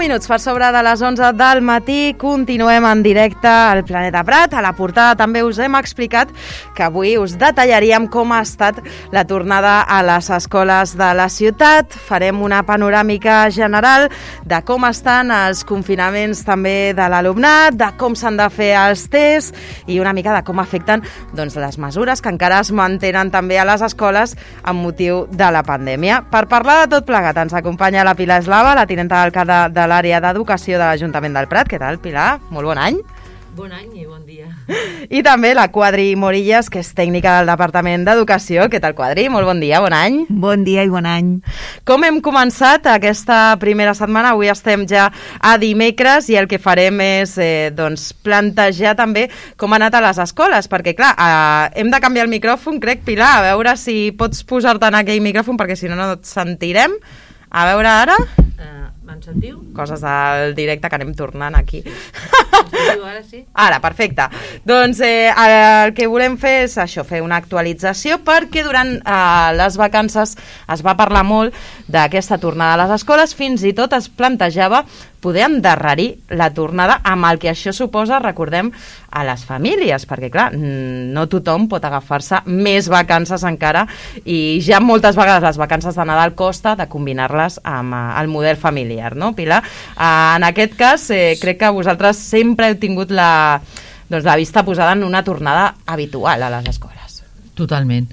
minuts per sobre de les 11 del matí, continuem en directe al Planeta Prat. A la portada també us hem explicat que avui us detallaríem com ha estat la tornada a les escoles de la ciutat. Farem una panoràmica general de com estan els confinaments també de l'alumnat, de com s'han de fer els tests i una mica de com afecten les mesures que encara es mantenen també a les escoles amb motiu de la pandèmia. Per parlar de tot plegat ens acompanya la Pilar Eslava, la tinenta d'alcalde de l'àrea d'educació de l'Ajuntament del Prat. Què tal, Pilar? Molt bon any. Bon any i bon dia. I també la Quadri Morillas, que és tècnica del Departament d'Educació. Què tal, Quadri? Molt bon dia, bon any. Bon dia i bon any. Com hem començat aquesta primera setmana? Avui estem ja a dimecres i el que farem és plantejar també com ha anat a les escoles, perquè clar, hem de canviar el micròfon, crec, Pilar, a veure si pots posar-te en aquell micròfon, perquè si no, no et sentirem. A veure ara... Me'n sentiu? Coses del directe que anem tornant aquí. Ara sí? Ara, perfecte. Doncs el que volem fer és això, fer una actualització, perquè durant les vacances es va parlar molt d'aquesta tornada a les escoles, fins i tot es plantejava poder endarrerir la tornada amb el que això suposa, recordem, a les famílies, perquè clar, no tothom pot agafar-se més vacances encara i ja moltes vegades les vacances de Nadal costa de combinar-les amb el model familiar, no, Pilar? En aquest cas, crec que vosaltres sempre heu tingut la vista posada en una tornada habitual a les escoles. Totalment.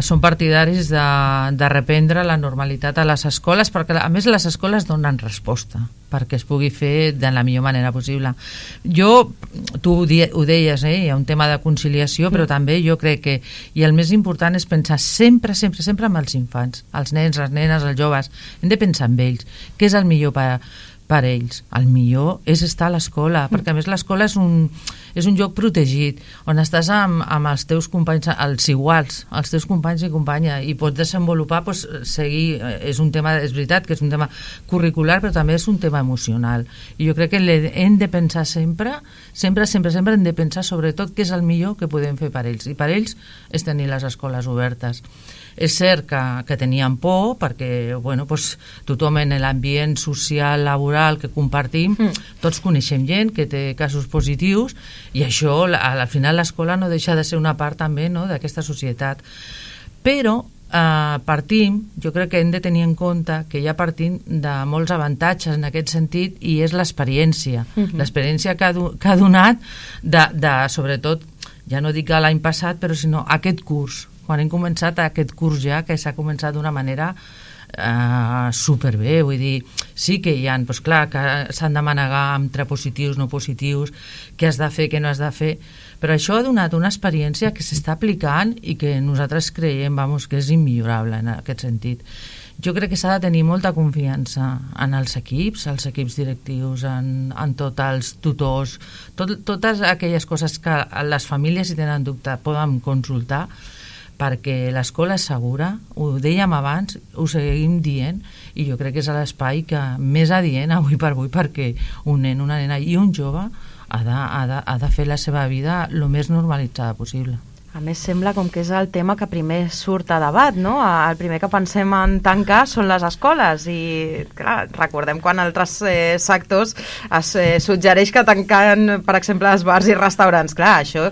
Som partidaris de reprendre la normalitat a les escoles, perquè a més les escoles donen resposta perquè es pugui fer de la millor manera possible. Tu ho deies, hi ha un tema de conciliació, però també jo crec que, i el més important és pensar sempre en els infants, els nens, les nenes, els joves, hem de pensar en ells, què és el millor per ells. El millor és estar a l'escola, perquè a més l'escola és un lloc protegit, on estàs amb els teus companys, els iguals, els teus companys i companya, i pots desenvolupar, seguir, és veritat que és un tema curricular, però també és un tema emocional. I jo crec que hem de pensar sempre hem de pensar sobretot què és el millor que podem fer per ells, i per ells és tenir les escoles obertes. És cert que tenien por perquè tothom en l'ambient social, laboral que compartim, tots coneixem gent que té casos positius i això, al final l'escola no deixa de ser una part també d'aquesta societat. Però jo crec que hem de tenir en compte que ja partim de molts avantatges en aquest sentit i és l'experiència. L'experiència que ha donat sobretot, ja no dic l'any passat, però sinó aquest curs. Quan hem començat aquest curs ja, que s'ha començat d'una manera superbé, vull dir, sí que hi ha, clar, que s'han de manegar entre positius, no positius, què has de fer, què no has de fer, però això ha donat una experiència que s'està aplicant i que nosaltres creiem, que és immillorable en aquest sentit. Jo crec que s'ha de tenir molta confiança en els equips directius, en tots els tutors, totes aquelles coses que les famílies, si tenen dubte, poden consultar, perquè l'escola és segura, ho dèiem abans, ho seguim dient, i jo crec que és l'espai que més adient avui per avui, perquè un nen, una nena i un jove ha de fer la seva vida el més normalitzada possible. A més, sembla com que és el tema que primer surt a debat, no? El primer que pensem en tancar són les escoles i, clar, recordem quan altres sectors es suggereix que tanquen, per exemple, els bars i restaurants. Clar, això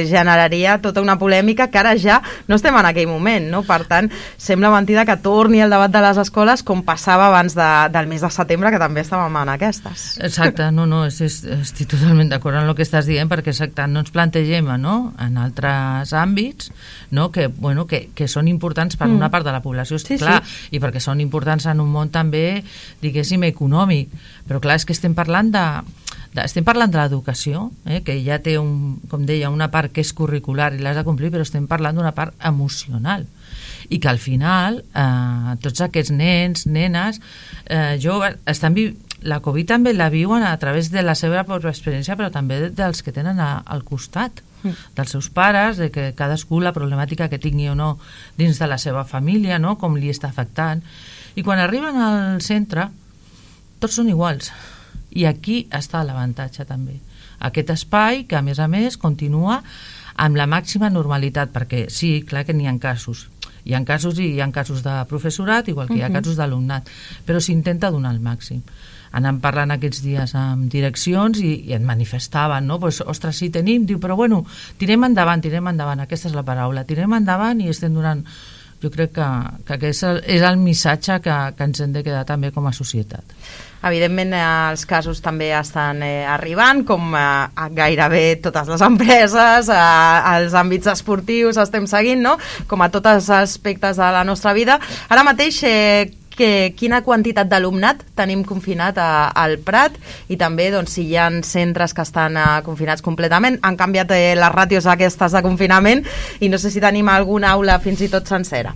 generaria tota una polèmica que ara ja no estem en aquell moment, no? Per tant, sembla mentida que torni el debat de les escoles com passava abans del mes de setembre, que també estàvem en aquestes. Exacte, estic totalment d'acord amb el que estàs dient, perquè exacte, no ens plantegem, no?, en altres àmbits, no? que són importants per una part de la població, clar, i perquè són importants en un món també, diguéssim, econòmic, però clar, és que estem parlant de l'educació, que ja té, com deia, una part que és curricular i l'has de complir, però estem parlant d'una part emocional, i que al final tots aquests nens, nenes, la Covid també la viuen a través de la seva pròpia experiència, però també dels que tenen al costat, dels seus pares, de que cadascú la problemàtica que tingui o no dins de la seva família, no?, com li està afectant. I quan arriben al centre, tots són iguals. I aquí està l'avantatge també. Aquest espai que, a més, continua amb la màxima normalitat, perquè sí, clar que n'hi ha casos, Hi ha casos i hi ha casos de professorat, igual que hi ha casos d'alumnat, però s'intenta donar el màxim. Anàvem parlant aquests dies amb direccions i et manifestaven, no? Pues, ostres, sí tenim, diu, però bueno, tirem endavant, aquesta és la paraula, tirem endavant i estem donant... Jo crec que aquest és el missatge que ens hem de quedar també com a societat. Evidentment els casos també estan arribant, com a gairebé totes les empreses, als àmbits esportius estem seguint, no? Com a tots els aspectes de la nostra vida. Ara mateix, quina quantitat d'alumnat tenim confinat al Prat i també doncs, si hi ha centres que estan confinats completament. Han canviat les ràtios aquestes de confinament i no sé si tenim alguna aula fins i tot sencera.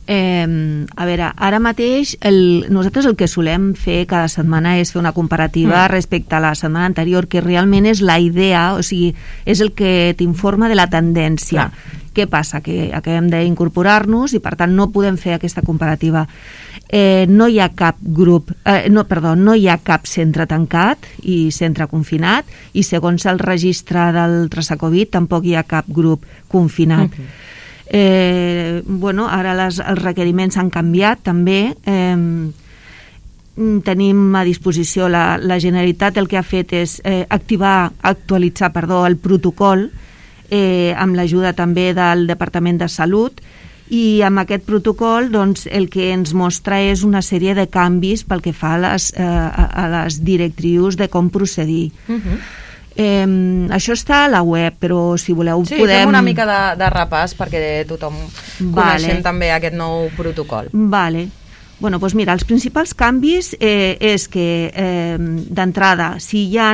A veure, ara mateix nosaltres el que solem fer cada setmana és fer una comparativa respecte a la setmana anterior, que realment és la idea, o sigui, és el que t'informa de la tendència. Clar. Què passa? Que acabem d'incorporar-nos i per tant no podem fer aquesta comparativa. No hi ha cap grup, no hi ha cap centre tancat i centre confinat, i segons el registre del traçacovid tampoc hi ha cap grup confinat. Bueno, ara els requeriments han canviat també. Tenim a disposició la Generalitat, el que ha fet és actualitzar el protocol amb l'ajuda també del Departament de Salut, i amb aquest protocol doncs, el que ens mostra és una sèrie de canvis pel que fa a les directrius de com procedir. Això està a la web, però si voleu podem... fem una mica de repàs perquè tothom coneixem també aquest nou protocol. Vale. Bueno, doncs mira, els principals canvis és que d'entrada, si hi ha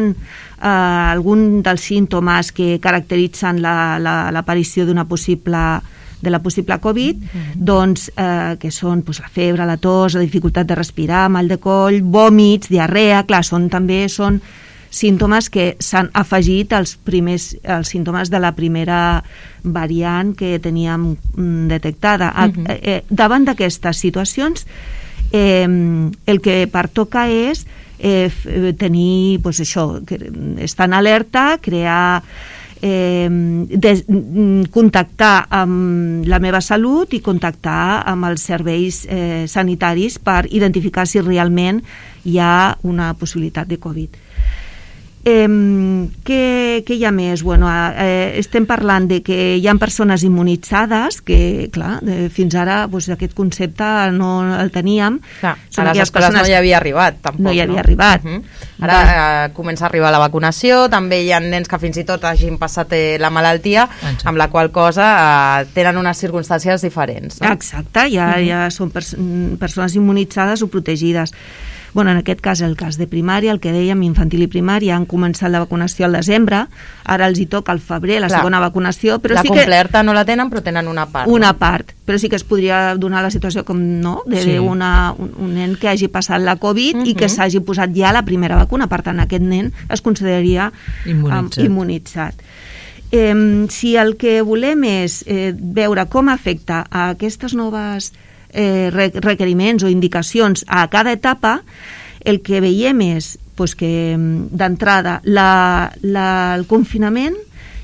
algun dels símptomes que caracteritzen l'aparició de la possible Covid, doncs, que són la febre, la tos, la dificultat de respirar, mal de coll, vòmits, diarrea, clar, són símptomes que s'han afegit als símptomes de la primera variant que teníem detectada. Davant d'aquestes situacions, el que pertoca és tenir, estar en alerta, crear, contactar amb la meva salut i contactar amb els serveis sanitaris per identificar si realment hi ha una possibilitat de Covid. Què hi ha més? Bueno, estem parlant de que hi ha persones immunitzades, que clar, fins ara aquest concepte no el teníem. Clar, a les escoles no hi havia arribat tampoc. No hi havia arribat. Ara comença a arribar la vacunació, també hi ha nens que fins i tot hagin passat la malaltia, amb la qual cosa tenen unes circumstàncies diferents. Exacte, ja són persones immunitzades o protegides. Bueno, en aquest cas, el cas de primària, el que dèiem, infantil i primària, han començat la vacunació al desembre, ara els hi toca al febrer la segona vacunació, però la completa no la tenen, però tenen una part. Una part, però sí que es podria donar la situació com un nen que hagi passat la Covid i que s'hagi posat ja la primera vacuna, per tant aquest nen es consideraria immunitzat. Si el que volem és veure com afecta a aquestes noves requeriments o indicacions a cada etapa, el que veiem és que d'entrada el confinament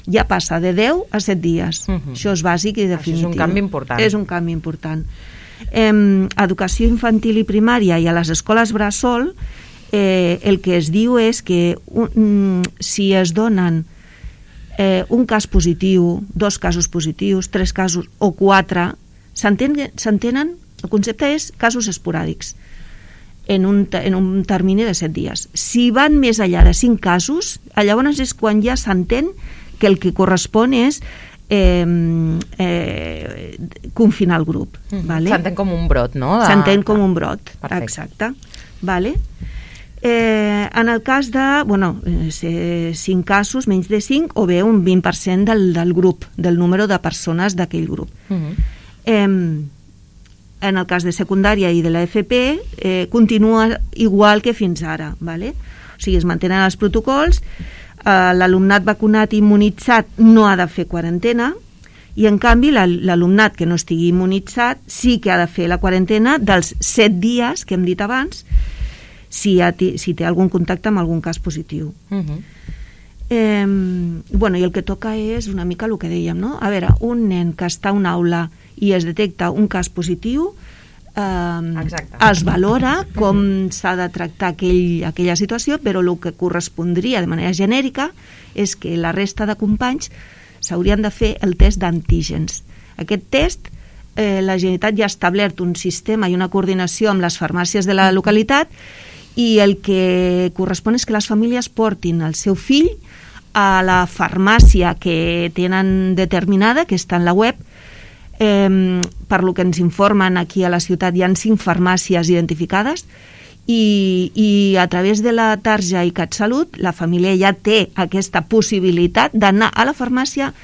ja passa de 10 a 7 dies. Això és bàsic i definitiu. Això és un canvi important. És un canvi important. Educació infantil i primària i a les escoles bressol, el que es diu és que si es donen un cas positiu, 2 casos positius, 3 casos o 4, s'entenen, el concepte és casos esporàdics en un termini de 7 dies. Si van més enllà de 5 casos, llavors és quan ja s'entén que el que correspon és confinar el grup. S'entén com un brot, no? S'entén com un brot, exacte. En el cas de 5 casos, menys de 5, o bé un 20% del grup, del número de persones d'aquell grup. En el cas de secundària i de la FP continua igual que fins ara, o sigui, es mantenen els protocols, l'alumnat vacunat i immunitzat no ha de fer quarantena i en canvi l'alumnat que no estigui immunitzat sí que ha de fer la quarantena dels 7 dies que hem dit abans si té algun contacte amb algun cas positiu. Bueno, i el que toca és una mica el que dèiem, no? A veure, un nen que està a una aula i es detecta un cas positiu, es valora com s'ha de tractar aquella situació, però el que correspondria de manera genèrica és que la resta de companys s'haurien de fer el test d'antígens. Aquest test, la Generalitat ja ha establert un sistema i una coordinació amb les farmàcies de la localitat, i el que correspon és que les famílies portin el seu fill a la farmàcia que tenen determinada, que està en la web. Per lo que ens informen aquí a la ciutat hi ha 5 farmàcies identificades i a través de la tarja i CatSalut la família ja té aquesta possibilitat d'anar a la farmàcia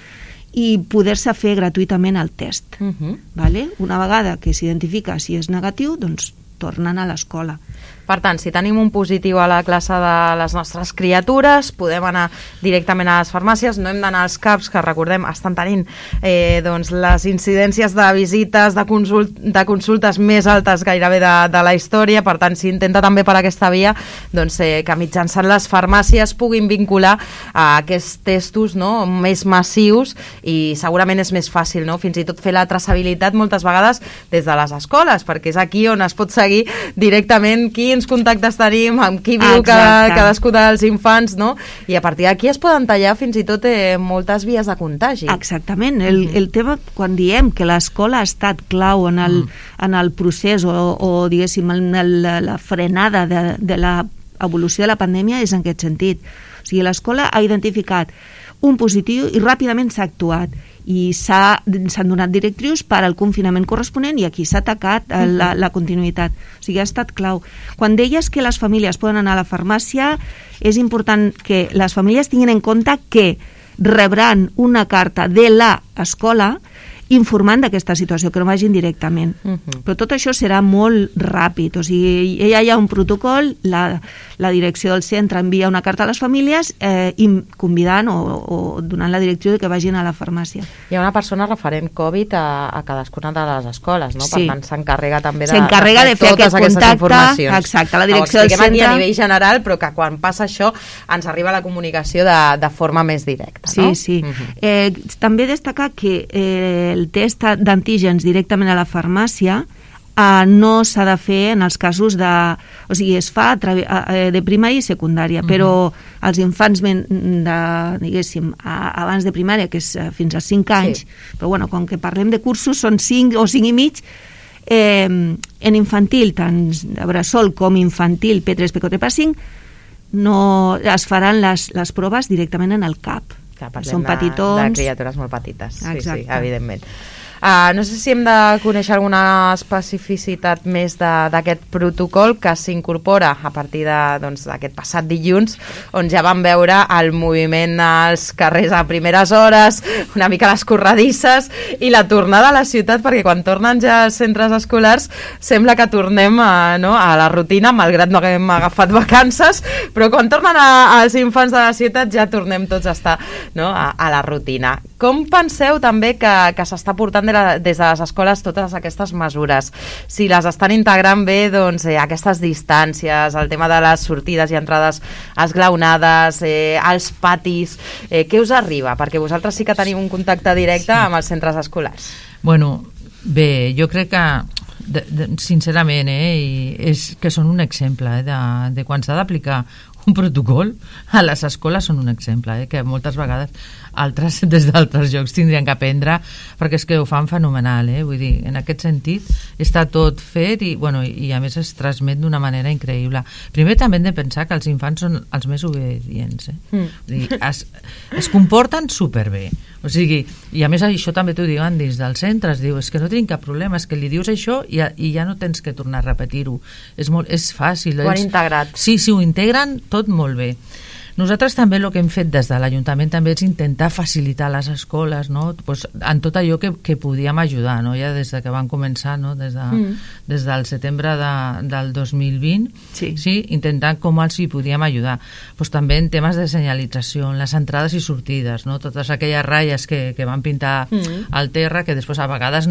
i poder-se fer gratuïtament el test. Vale? Una vegada que s'identifica si és negatiu, doncs tornen a l'escola. Per tant, si tenim un positiu a la classe de les nostres criatures, podem anar directament a les farmàcies, no hem d'anar als CAPs, que recordem, estan tenint doncs, les incidències de visites, de consultes més altes gairebé de la història, per tant, s'intenta també per aquesta via doncs, que mitjançant les farmàcies puguin vincular a aquests testos, no?, més massius, i segurament és més fàcil, no?, fins i tot fer la traçabilitat moltes vegades des de les escoles, perquè és aquí on es pot seguir directament quins contactes tenim, amb qui viu cadascú dels infants, no? I a partir d'aquí es poden tallar fins i tot moltes vies de contagi. Exactament. El tema, quan diem que l'escola ha estat clau en el procés o diguéssim, en la frenada de l'evolució de la pandèmia, és en aquest sentit. O sigui, l'escola ha identificat un positiu i ràpidament s'ha actuat i s'han donat directrius per al confinament corresponent i aquí s'ha atacat la continuïtat. O sigui, ha estat clau. Quan deies que les famílies poden anar a la farmàcia, és important que les famílies tinguin en compte que rebran una carta de l'escola informant d'aquesta situació, que no vagin directament. Però tot això serà molt ràpid, o sigui, ja hi ha un protocol, la direcció del centre envia una carta a les famílies convidant o donant la direcció de que vagin a la farmàcia. Hi ha una persona referent Covid a cadascuna de les escoles, no? Sí. Per tant, s'encarrega també de fer totes aquestes informacions. Exacte, la direcció del centre. Aquí a nivell general, però que quan passa això ens arriba la comunicació de forma més directa, no? Sí. També destacar que el test d'antígens directament a la farmàcia no s'ha de fer en els casos de... O sigui, es fa de primària i secundària, però els infants diguéssim, abans de primària, que és fins als 5 anys, però bueno, com que parlem de cursos, són 5 o 5 i mig, en infantil, tant de bressol com infantil, P3, P4, P5, no es faran les proves directament en el CAP. Són petitons. De criatures molt petites, sí, evidentment. No sé si hem de conèixer alguna especificitat més d'aquest protocol que s'incorpora a partir d'aquest passat dilluns, on ja vam veure el moviment als carrers a primeres hores, una mica les corredisses i la tornada a la ciutat, perquè quan tornen ja als centres escolars sembla que tornem a la rutina, malgrat no haguem agafat vacances, però quan tornen als infants de la ciutat ja tornem tots a estar a la rutina. Com penseu també que s'està portant des de les escoles totes aquestes mesures? Si les estan integrant bé, doncs aquestes distàncies, el tema de les sortides i entrades esglaonades, els patis, què us arriba? Perquè vosaltres sí que teniu un contacte directe amb els centres escolars. Bueno, bé, jo crec que sincerament és que són un exemple de quan s'ha d'aplicar un protocol a les escoles, són un exemple que moltes vegades altres des d'altres llocs tindrien que aprendre, perquè és que ho fan fenomenal, vull dir, en aquest sentit està tot fet i a més es transmet d'una manera increïble. Primer també hem de pensar que els infants són els més obedients, Vull dir, es comporten superbé, o sigui, i a més això també t'ho diuen dins del centre, es diu, és que no tenim cap problema, és que li dius això i ja no tens que tornar a repetir-ho, és fàcil. Ho han integrat. Sí, ho integren tot molt bé. Nosaltres també el que hem fet des de l'Ajuntament també és intentar facilitar les escoles, pues, en tot allò que podíem ajudar, ja des de que van començar, des del setembre del 2020, intentant com els hi podíem ajudar. Pues, també en temes de senyalització, en les entrades i sortides, totes aquelles ratlles que van pintar al terra, que després a vegades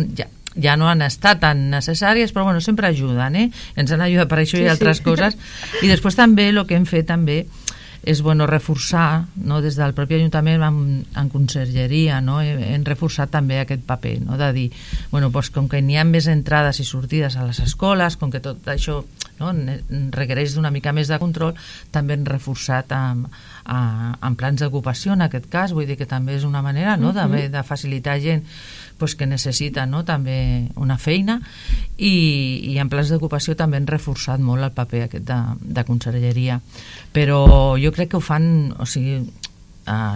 ja no han estat tan necessàries, però sempre ajuden, ens han ajudat per això i altres coses. I després també el que hem fet també és bueno reforçar, no, des del propi Ajuntament en consergeria, no, hem reforçat també aquest paper, no, de dir, bueno, doncs, com que n'hi ha més entrades i sortides a les escoles, com que tot això, no, requereix d'una mica més de control, també hem reforçat en plans d'ocupació, en aquest cas, vull dir que també és una manera, no, de facilitar gent pues, que necessita, no, també una feina, i en plans d'ocupació també han reforçat molt el paper aquest de consergeria, però jo crec que ho fan, o sigui,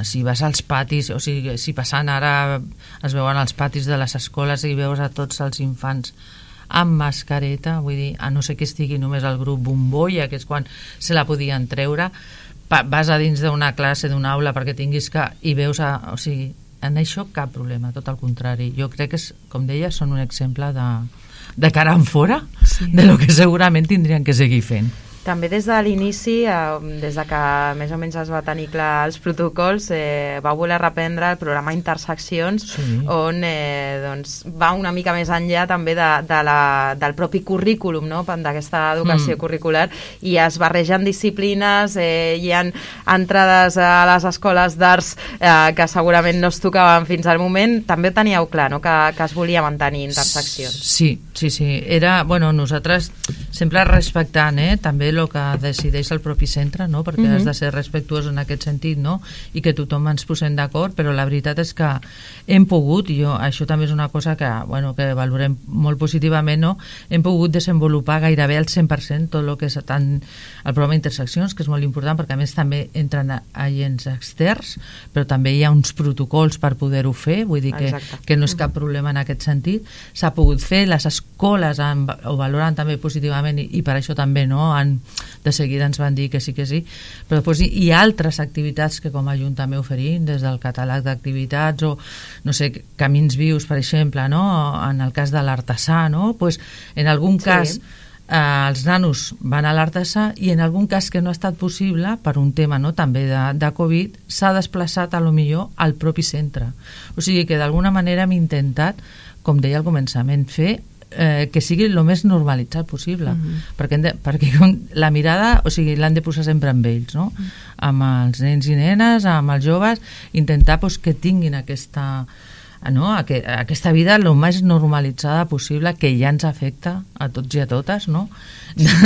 si vas als patis, o sigui, si passant ara es veuen als patis de les escoles i veus a tots els infants amb mascareta, vull dir, a no ser que estigui només el grup bombolla, que és quan se la podien treure, vas a dins d'una classe, d'una aula perquè tinguis que, i veus, o sigui, en això cap problema, tot el contrari. Jo crec que, com deia, són un exemple de cara en fora, sí, de lo que segurament tindrien que seguir fent. També des de l'inici, des de que més o menys es va tenir clar els protocols, va voler reprendre el programa Interseccions, sí, on doncs, va una mica més enllà també del propi currículum, no? D'aquesta educació curricular, i es barregen disciplines, hi ha entrades a les escoles d'arts que segurament no es tocaven fins al moment. També teníeu clar, no? que es volia mantenir Interseccions. Sí. Era, bueno, nosaltres sempre respectant també el que decideix el propi centre, no? Perquè has de ser respectuós en aquest sentit, no? I que tothom ens posem d'acord, però la veritat és que hem pogut, i això també és una cosa que, bueno, que valorem molt positivament, no? Hem pogut desenvolupar gairebé al 100% tot el que és tant el programa Interseccions, que és molt important perquè a més també entren agents externs, però també hi ha uns protocols per poder-ho fer, vull dir que no és cap problema en aquest sentit. S'ha pogut fer, les escoles ho valoren també positivament i per això també, no? De seguida ens van dir que sí, però després hi ha altres activitats que com a Ajuntament oferim, des del catàleg d'activitats o, no sé, camins vius, per exemple, no? En el cas de l'artesà, no? Pues, en algun cas els nanos van a l'artesà i en algun cas que no ha estat possible per un tema, no, també de Covid, s'ha desplaçat a lo millor al propi centre. O sigui que d'alguna manera hem intentat, com deia al començament, fer que sigui el més normalitzat possible, perquè la mirada, o sigui, l'han de posar sempre amb ells, no? Amb els nens i nenes, amb els joves, intentar que tinguin aquesta vida el més normalitzada possible, que ja ens afecta a tots i a totes, no?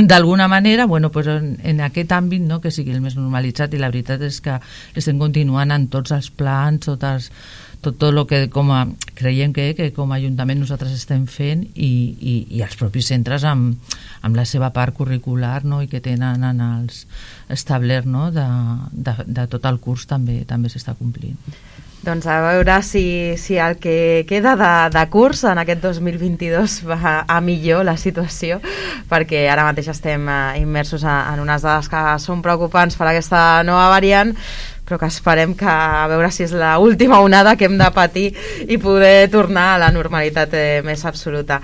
D'alguna manera, bueno, pues en aquest àmbit, no, que sigui el més normalitzat, i la veritat és que estem continuant en tots els plans, tot el que creiem que com a Ajuntament nosaltres estem fent, i els propis centres amb la seva part curricular, no, i que tenen en els establert, no, de tot el curs també s'està complint. Doncs a veure si el que queda de curs en aquest 2022 va a millor la situació, perquè ara mateix estem immersos en unes dades que són preocupants per aquesta nova variant, però que esperem que a veure si és l'última onada que hem de patir i poder tornar a la normalitat més absoluta.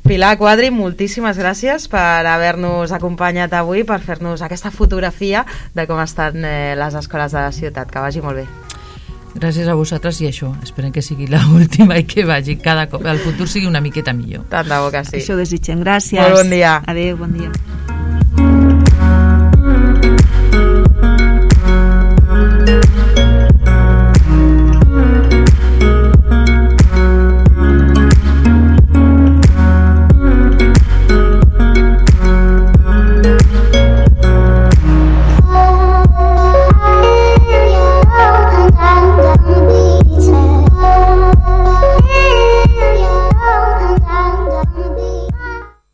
Pilar Quadri, moltíssimes gràcies per haver-nos acompanyat avui, per fer-nos aquesta fotografia de com estan les escoles de la ciutat. Que vagi molt bé. Gràcies a vosaltres, i això, esperem que sigui l'última i que vagi cada cop el futur sigui una miqueta millor. Tant de bo que sí. Això desitgem. Gràcies. Molt bon dia. Adéu, bon dia.